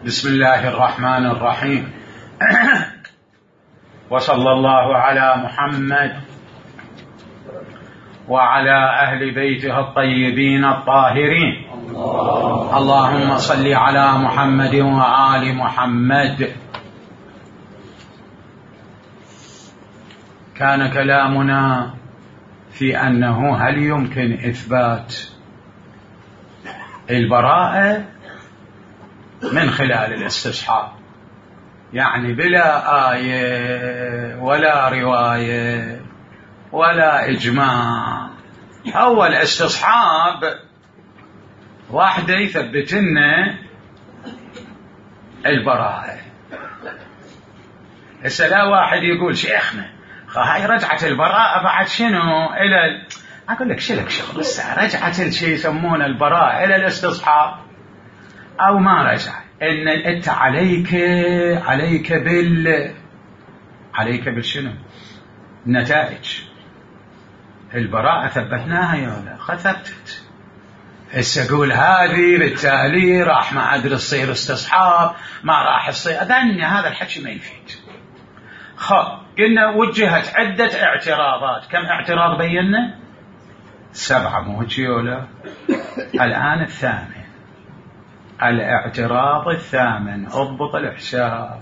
بسم الله الرحمن الرحيم. وصلى الله على محمد وعلى أهل بيته الطيبين الطاهرين. اللهم صل على محمد وآل محمد. كان كلامنا في أنه هل يمكن إثبات البراءة من خلال الاستصحاب، يعني بلا آية ولا رواية ولا إجماع. أول استصحاب واحدة يثبت لنا البراءة. هسه لا واحد يقول شيخنا هاي رجعت البراءة بعد شنو إلى، أقول لك شلك شغل، بس رجعت الشيء يسمونه البراءة إلى الاستصحاب أو ما رجع. إن أنت عليك بالشنو النتائج. البراءة ثبتناها يا ولا ثبتت. هسه أقول هذه بالتالي راح ما أدري تصير استصحاب ما راح تصير، أدني هذا الحكي ما يفيد. قلنا وجهت عدة اعتراضات. كم اعتراض بينا؟ 7 مو هيك ولا؟ الآن الثامن، الاعتراض الثامن. اضبط الحساب.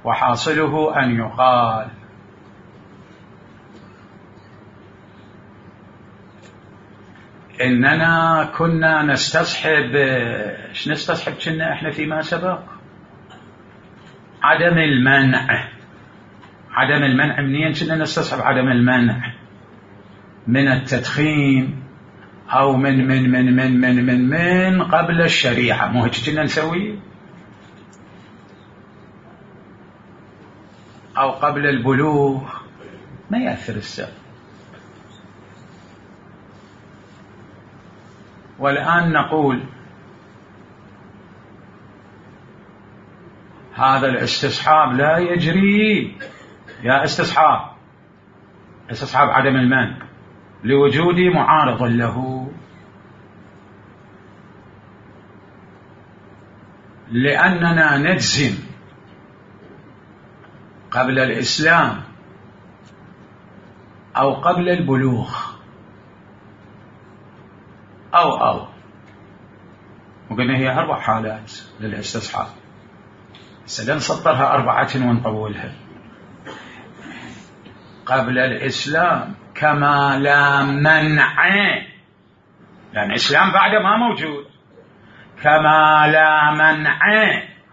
وحاصله أن يقال إننا كنا نستصحب. ايش نستصحب كنا احنا فيما سبق؟ عدم المنع. عدم المنع منين كنا نستصحب عدم المنع؟ من التدخين أو من من من من من من من قبل الشريعة. مو هيك كنا نسوي؟ أو قبل البلوغ. ما يأثر السبب. والآن نقول هذا الاستصحاب لا يجري. يا استصحاب عدم المنع لوجود معارض له، لأننا نجزم قبل الإسلام أو قبل البلوغ أو وقلنا هي 4 حالات للاستصحاب. سنسطرها 4 ونطولها. قبل الإسلام كما لا منع، لأن الإسلام بعد ما موجود. كما لا منع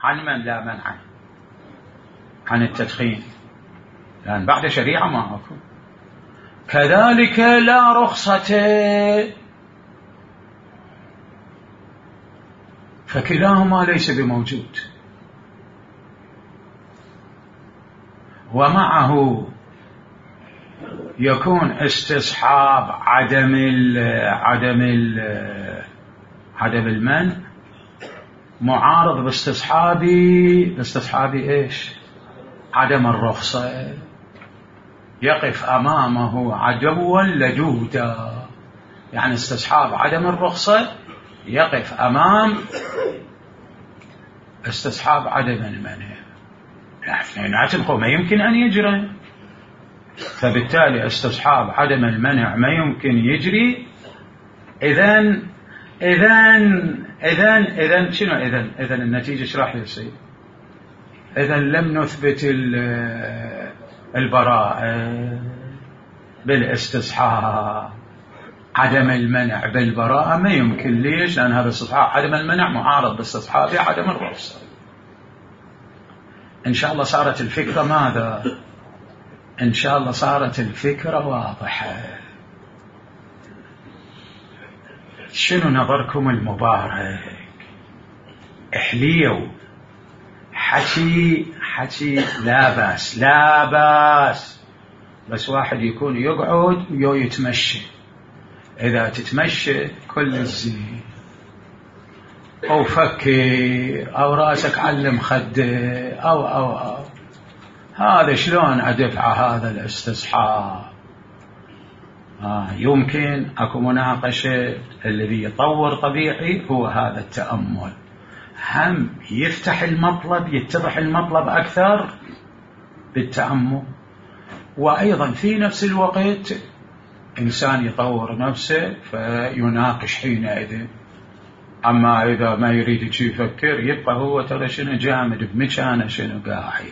عن من لا منع عن التدخين، لأن بعد شريعة ما أكون. كذلك لا رخصة، فكلاهما ليس بموجود. ومعه يكون استصحاب عدم المنع معارض باستصحاب ايش؟ عدم الرخصة. يقف أمامه عدوا لدودا، يعني استصحاب عدم الرخصة يقف أمام استصحاب عدم المنع. اثنيناتهم ما يمكن أن يجري، فبالتالي استصحاب عدم المنع ما يمكن يجري. إذن شنو؟ إذن النتيجة ايش راح يصير؟ إذن لم نثبت البراءة بالاستصحاب. عدم المنع بالبراءة ما يمكن. ليش؟ لأن هذا استصحاب عدم المنع معارض باستصحاب عدم الرخصة. إن شاء الله صارت الفكرة ماذا؟ إن شاء الله صارت الفكرة واضحة. شنو نظركم المبارك؟ احليوا حكي لا باس، بس واحد يكون يقعد ويتمشى. إذا تتمشى كل الزين، أو فكر أو راسك علم خده أو هذا شلون أدفع هذا الاستصحاب؟ يمكن أكو مناقشة. الذي يطور طبيعي هو هذا التأمل. هم يفتح المطلب، يتضح المطلب أكثر بالتأمل، وأيضا في نفس الوقت إنسان يطور نفسه فيناقش حينئذ. أما إذا ما يريد يفكر يبقى هو ترى شنو جامد بمكانه شنو قاعد.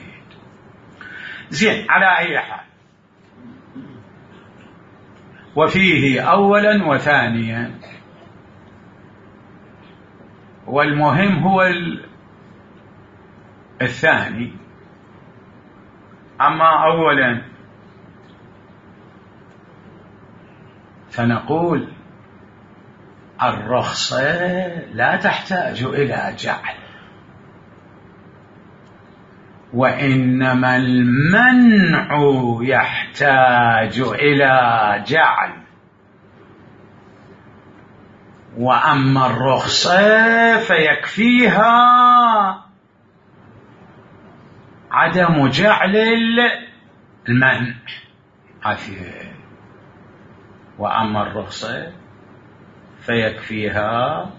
زين، على أي حال، وفيه أولا وثانيا، والمهم هو الثاني. أما أولا فنقول الرخصة لا تحتاج إلى جعل، وإنما المنع يحتاج إلى جعل. وأما الرخصة فيكفيها عدم جعل المنع. وأما الرخصة فيكفيها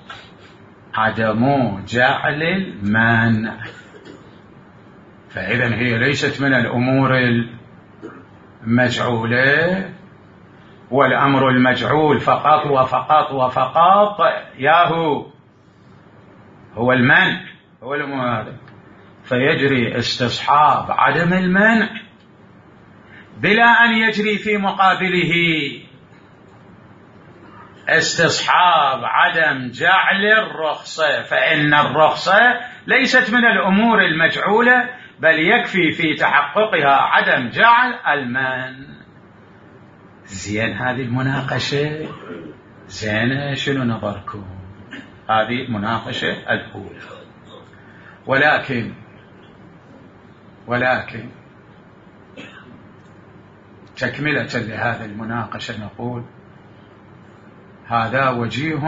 عدم جعل المنع. فإذا هي ليست من الأمور المجعولة، والأمر المجعول فقط وفقط وفقط ياهو هو المنع، هو المنع. فيجري استصحاب عدم المنع بلا أن يجري في مقابله استصحاب عدم جعل الرخصة، فإن الرخصة ليست من الأمور المجعولة، بل يكفي في تحققها عدم جعل المنع. زين، هذه المناقشة زينة، شنو نظركم؟ هذه المناقشة الأولى. ولكن تكملة لهذا المناقشة نقول هذا وجيه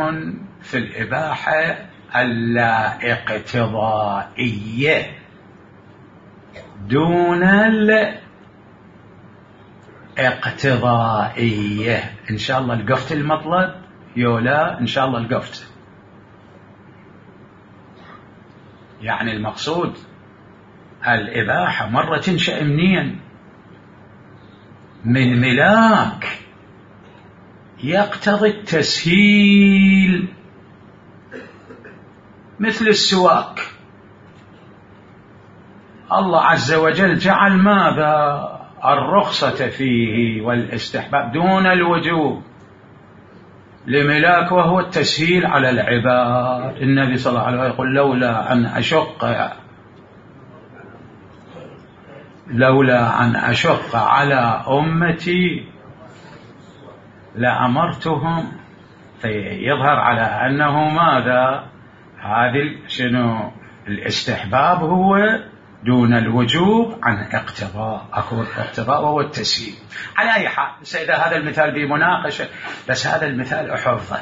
في الإباحة اللا اقتضائية دون الاقتضائية. إن شاء الله لقفت المطلب يولا، إن شاء الله لقفت. يعني المقصود الإباحة مرة تنشأ منين؟ من ملاك يقتضي التسهيل، مثل السواك. الله عز وجل جعل ماذا؟ الرخصة فيه والاستحباب دون الوجوب لملاك، وهو التسهيل على العباد. النبي صلى الله عليه وسلم يقول لولا أن أشق على أمتي لأمرتهم. فيظهر على أنه ماذا؟ هذه شنو؟ الاستحباب هو دون الوجوب عن اقتضاء، أكو اقتضاء وهو التسهيل. على أي حال، إذا هذا المثال بمناقشة، بس هذا المثال أحفظه،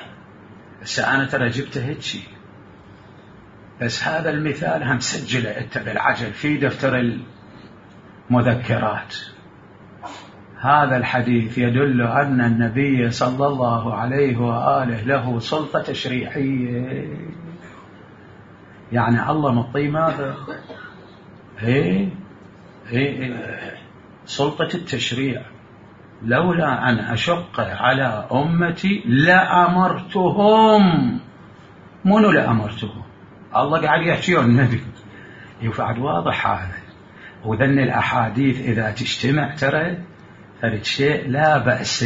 بس أنا ترى جبته هيك، بس هذا المثال هم سجله أنت بالعجل في دفتر المذكرات. هذا الحديث يدل أن النبي صلى الله عليه وآله له سلطة تشريعية. يعني الله مطي ماذا؟ سلطة التشريع. لولا أن أشق على أمتي لأمرتهم. منو لأمرتهم؟ الله قاعد يحكي عن النبي، يفعل واضح هذا. وذن الأحاديث إذا تجتمع ترى فرد شيء لا بأس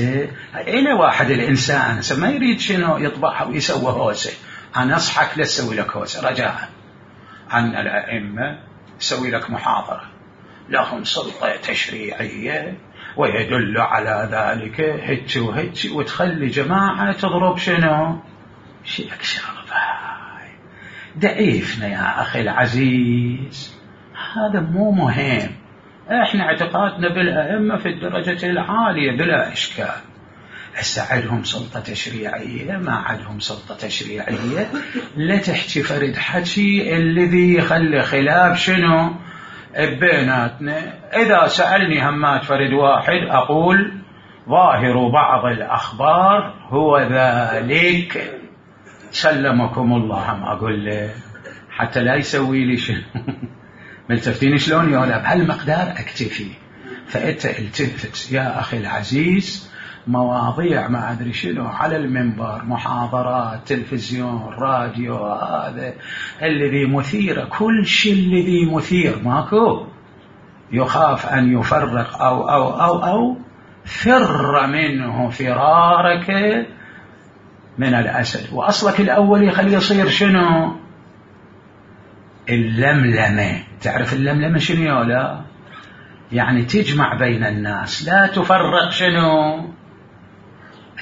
إلى واحد الإنسان ما يريد شنو يطبعها ويسوي هوسة. أنا أصحك لا تسوي لك هوسة، رجاء عن الأئمة يسوي لك محاضرة، لهم سلطة تشريعية ويدل على ذلك هيك وهيك، وتخلي جماعة تضرب شنو شيئك شربة. ضعيفنا يا أخي العزيز، هذا مو مهم. احنا اعتقادنا بالأئمة في الدرجة العالية بلا إشكال. هسه عندهم سلطة تشريعية، ما عندهم سلطة تشريعية، لا تحكي فرد حكي الذي يخلي خلاف شنو بيناتنا. إذا سألني همات فرد واحد أقول ظاهر بعض الأخبار هو ذلك، سلمكم الله. هم أقول له حتى لا يسوي لي شنو ملتفتين شلون يولا بهالمقدار اكتفي. فانت التفت يا اخي العزيز، مواضيع ما ادري شنو على المنبر، محاضرات، تلفزيون، راديو، هذا الذي مثيره، كل شيء الذي مثير ماكو، يخاف ان يفرق او فر منه فرارك من الاسد. واصلك الاول يخليه يصير شنو؟ اللملمه. تعرف اللملمه شنو يولا؟ يعني تجمع بين الناس، لا تفرق شنو.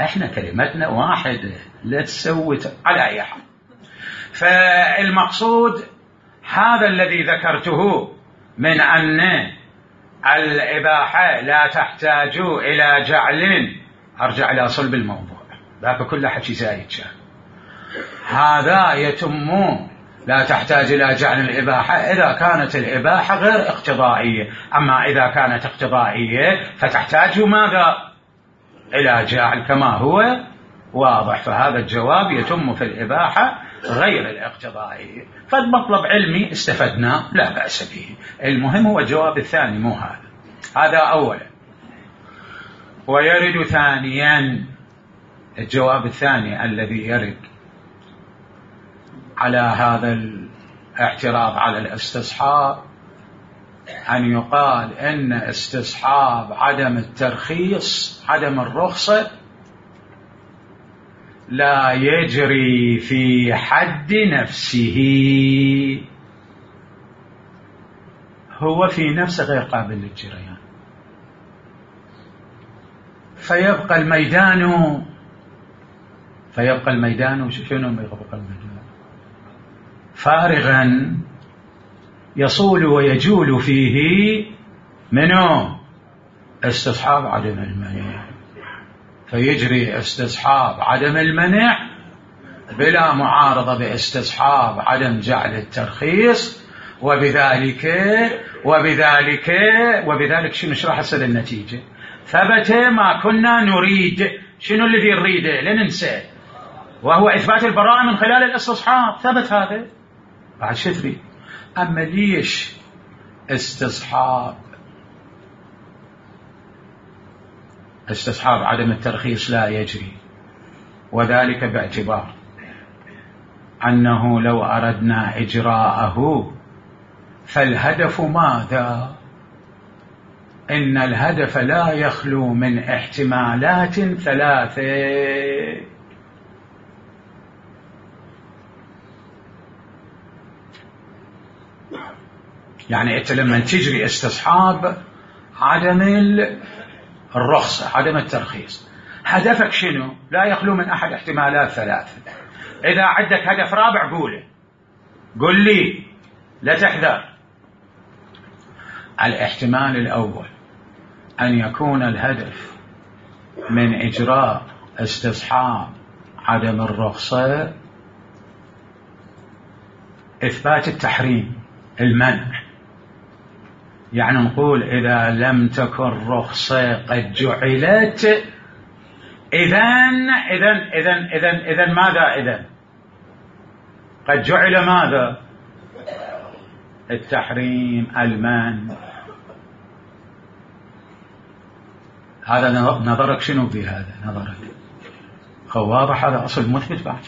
احنا كلمتنا واحده، لا تسوي على اي حال. فالمقصود هذا الذي ذكرته من ان الاباحه لا تحتاج الى جعل، ارجع الى صلب الموضوع، ذاك كله حكي زايد كان. هذا يتم لا تحتاج إلى جعل الإباحة إذا كانت الإباحة غير اقتضائية، أما إذا كانت اقتضائية فتحتاج ماذا؟ إلى جعل كما هو واضح. فهذا الجواب يتم في الإباحة غير الاقتضائية. فالمطلب علمي استفدنا لا بأس به، المهم هو الجواب الثاني مو هذا أولا. ويرد ثانيا الجواب الثاني الذي يرد على هذا الاعتراض على الاستصحاب، أن يقال إن استصحاب عدم الترخيص، عدم الرخصة، لا يجري في حد نفسه، هو في نفسه غير قابل للجريان، فيبقى الميدان شنو يبقى الميدان؟ فارغا يصول ويجول فيه منه استصحاب عدم المنع، فيجري استصحاب عدم المنع بلا معارضة باستصحاب عدم جعل الترخيص، وبذلك شنو راح يصير النتيجة؟ ثبت ما كنا نريد. شنو الذي نريده؟ لا ننسى، وهو إثبات البراءة من خلال الاستصحاب. ثبت هذا، بعد شو تريد؟ أما ليش استصحاب عدم الترخيص لا يجري؟ وذلك باعتبار أنه لو أردنا إجراءه فالهدف ماذا؟ إن الهدف لا يخلو من احتمالات ثلاثة. يعني أنت لما تجري استصحاب عدم الرخصة، عدم الترخيص، هدفك شنو؟ لا يخلو من أحد احتمالات ثلاثة. إذا عندك هدف رابع قل لي، لا تحذر. الاحتمال الأول أن يكون الهدف من إجراء استصحاب عدم الرخصة إثبات التحريم، المنع. يعني نقول إذا لم تكن رخصة قد جعلت، إذن ماذا؟ إذن قد جعل ماذا؟ التحريم، المنع. هذا نظرك شنو بهذا؟ نظرك واضح، هذا أصل مثبت. بعد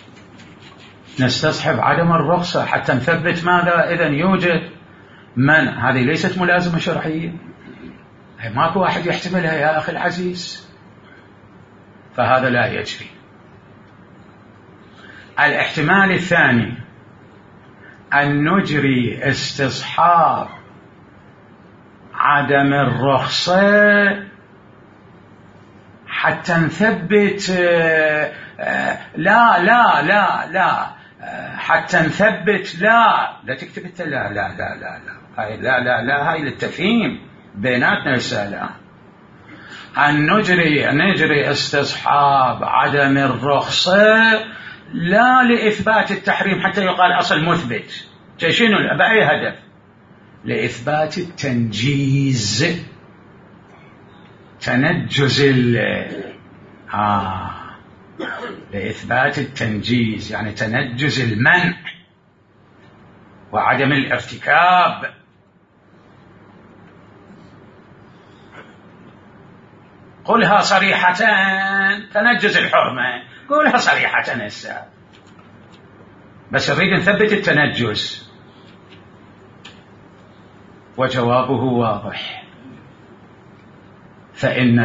نستصحب عدم الرخصة حتى نثبت ماذا؟ إذن يوجد منع. هذه ليست ملازمة شرعية، ماكو واحد يحتملها يا أخي العزيز، فهذا لا يجري. الاحتمال الثاني أن نجري استصحاب عدم الرخصة حتى نثبت لا حتى نثبت لا تكتب انت لا هاي للتفهيم بيناتنا رسالة. أن نجري استصحاب عدم الرخصة لا لإثبات التحريم حتى يقال أصل مثبت. شنو بأي هدف؟ لإثبات التنجيز، تنجز لإثبات التنجيز، يعني تنجز المنع. وعدم الارتكاب. قلها صريحة، تنجز الحرمة قولها صريحة هسه، بس نريد نثبت التنجز. وجوابه واضح، فإن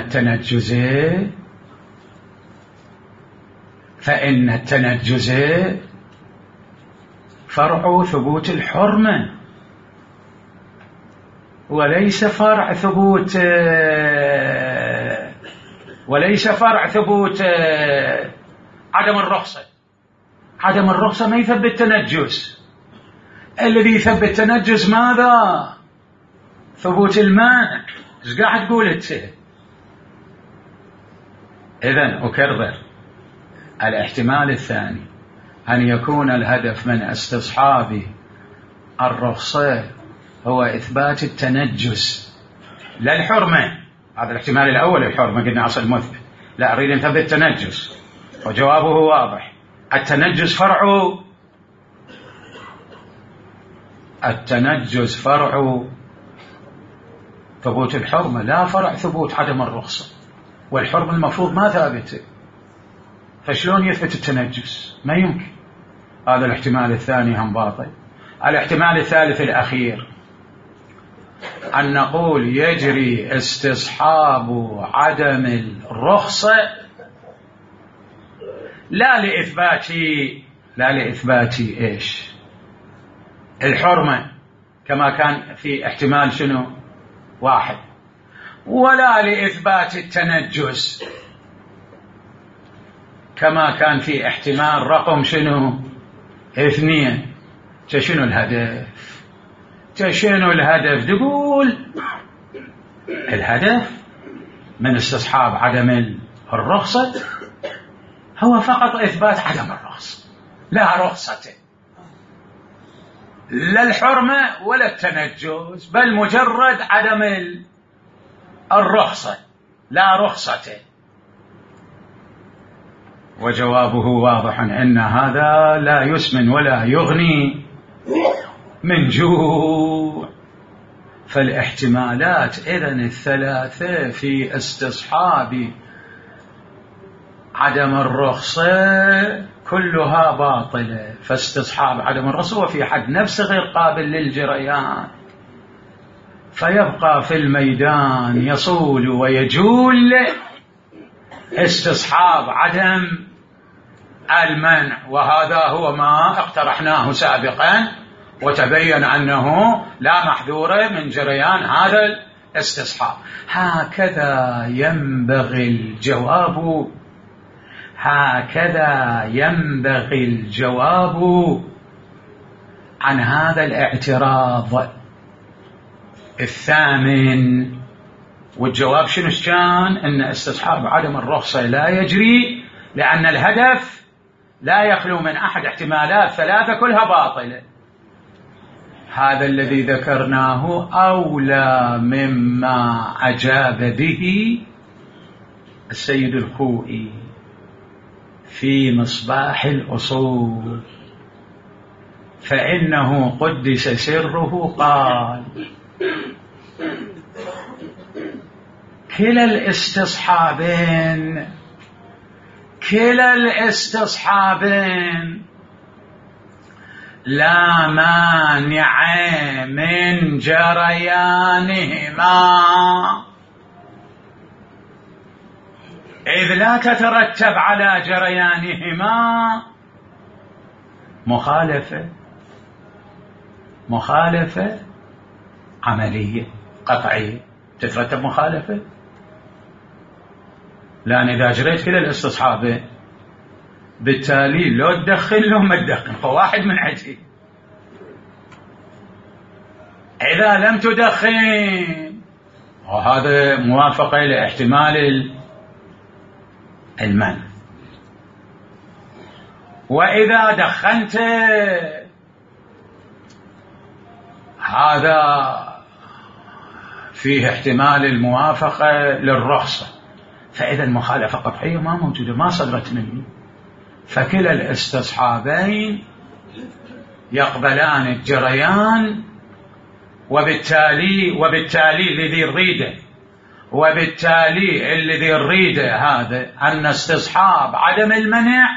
التنجز فرع ثبوت الحرمة وليس فرع ثبوت عدم الرخصة. عدم الرخصة ما يثبت تنجز، الذي يثبت تنجز ماذا؟ ثبوت المانع. ايش قاعد تقول انت؟ اذن اكرر، الاحتمال الثاني أن يكون الهدف من استصحاب الرخصة هو إثبات التنجس لا الحرمة. هذا الاحتمال الأول، الحرمة قلنا أصل مثبت، لا أريد أن نثبت التنجس. وجوابه واضح، التنجس فرع ثبوت الحرمة لا فرع ثبوت عدم الرخصة، والحرمة المفروض ما ثابته، فشلون يثبت التنجس؟ ما يمكن. هذا الاحتمال الثاني هم باطل. الاحتمال الثالث الأخير أن نقول يجري استصحاب عدم الرخصة لا لإثبات إيش؟ الحرمة كما كان في احتمال شنو؟ واحد، ولا لإثبات التنجس كما كان في احتمال رقم شنو؟ 2. شنو الهدف؟ تقول الهدف من استصحاب عدم الرخصة هو فقط إثبات عدم الرخصة، لا رخصة، لا الحرمة ولا التنجس، بل مجرد عدم الرخصة، لا رخصة. وجوابه واضح أن هذا لا يسمن ولا يغني من جوع. فالاحتمالات إذن الثلاثة في استصحاب عدم الرخصة كلها باطلة. فاستصحاب عدم الرخصة وفي حد نفسه غير قابل للجريان، فيبقى في الميدان يصول ويجول استصحاب عدم المنع، وهذا هو ما اقترحناه سابقا وتبين أنه لا محذور من جريان هذا الاستصحاب. هكذا ينبغي الجواب عن هذا الاعتراض الثامن. والجواب شنو كان؟ أن استصحاب عدم الرخصة لا يجري لأن الهدف لا يخلو من أحد احتمالات ثلاثة كلها باطلة. هذا الذي ذكرناه أولى مما أجاب به السيد الخوئي في مصباح الأصول، فإنه قدس سره قال: كلا الاستصحابين لا مانع من جريانهما، إذ لا تترتب على جريانهما مخالفة عملية قطعية. تترتب مخالفة، لأن إذا جريت كلا الاستصحابين بالتالي لو تدخل لو ما تدخل فواحد من عجل. إذا لم تدخن وهذا موافقة لاحتمال المنع، وإذا دخنت هذا فيه احتمال الموافقة للرخصة، فإذا المخالفة قطعية ما موجودة، ما صدرت مني. فكلا الاستصحابين يقبلان الجريان، وبالتالي الذي نريده، وبالتالي الذي نريده هذا أن استصحاب عدم المنع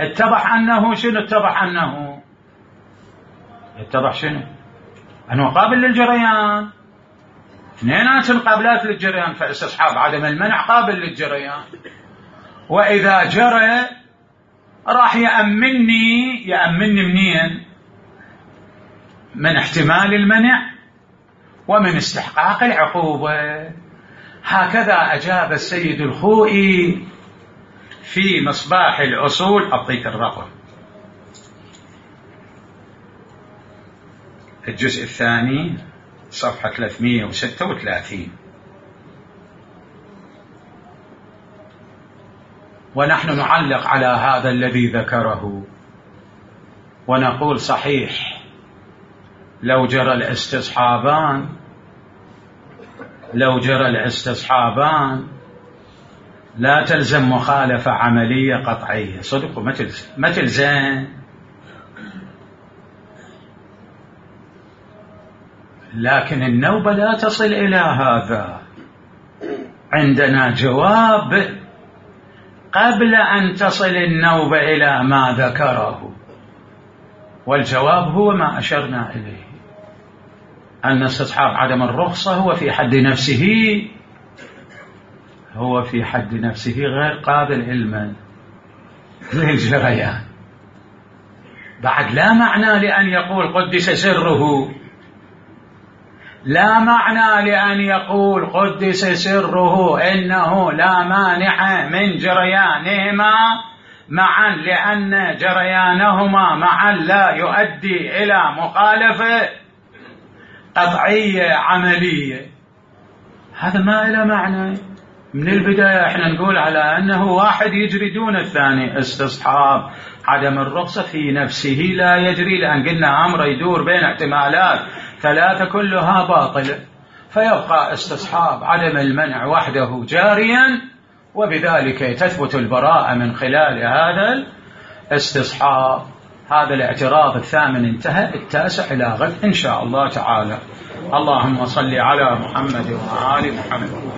اتضح أنه شنو؟ اتضح شنو؟ أنه قابل للجريان، اثنينات قابلات للجريان، فاستصحاب عدم المنع قابل للجريان. وإذا جرى راح يأمني منين؟ من احتمال المنع ومن استحقاق العقوبة. هكذا أجاب السيد الخوئي في مصباح الأصول. أعطيك الرقم، الجزء الثاني صفحة 336. ونحن نعلق على هذا الذي ذكره ونقول صحيح لو جرى الاستصحابان لا تلزم مخالفة عملية قطعية، صدق ما تلزم، لكن النوبة لا تصل إلى هذا. عندنا جواب قبل أن تصل النوبة إلى ما ذكره، والجواب هو ما أشرنا إليه، أن استصحاب عدم الرخصة هو في حد نفسه غير قابل علما للجريان. بعد لا معنى لأن يقول قدس سره، لا معنى لأن يقول قدس سره إنه لا مانع من جريانهما معا، لأن جريانهما معا لا يؤدي إلى مخالفة قطعية عملية. هذا ما إلى معنى. من البداية احنا نقول على أنه واحد يجري دون الثاني. استصحاب عدم الرخصة في نفسه لا يجري، لأن قلنا أمر يدور بين احتمالات ثلاثة كلها باطلة، فيبقى استصحاب عدم المنع وحده جاريا، وبذلك تثبت البراءة من خلال هذا الاستصحاب. هذا الاعتراض الثامن انتهى، التاسع إلى غد إن شاء الله تعالى. اللهم صل على محمد وآل محمد.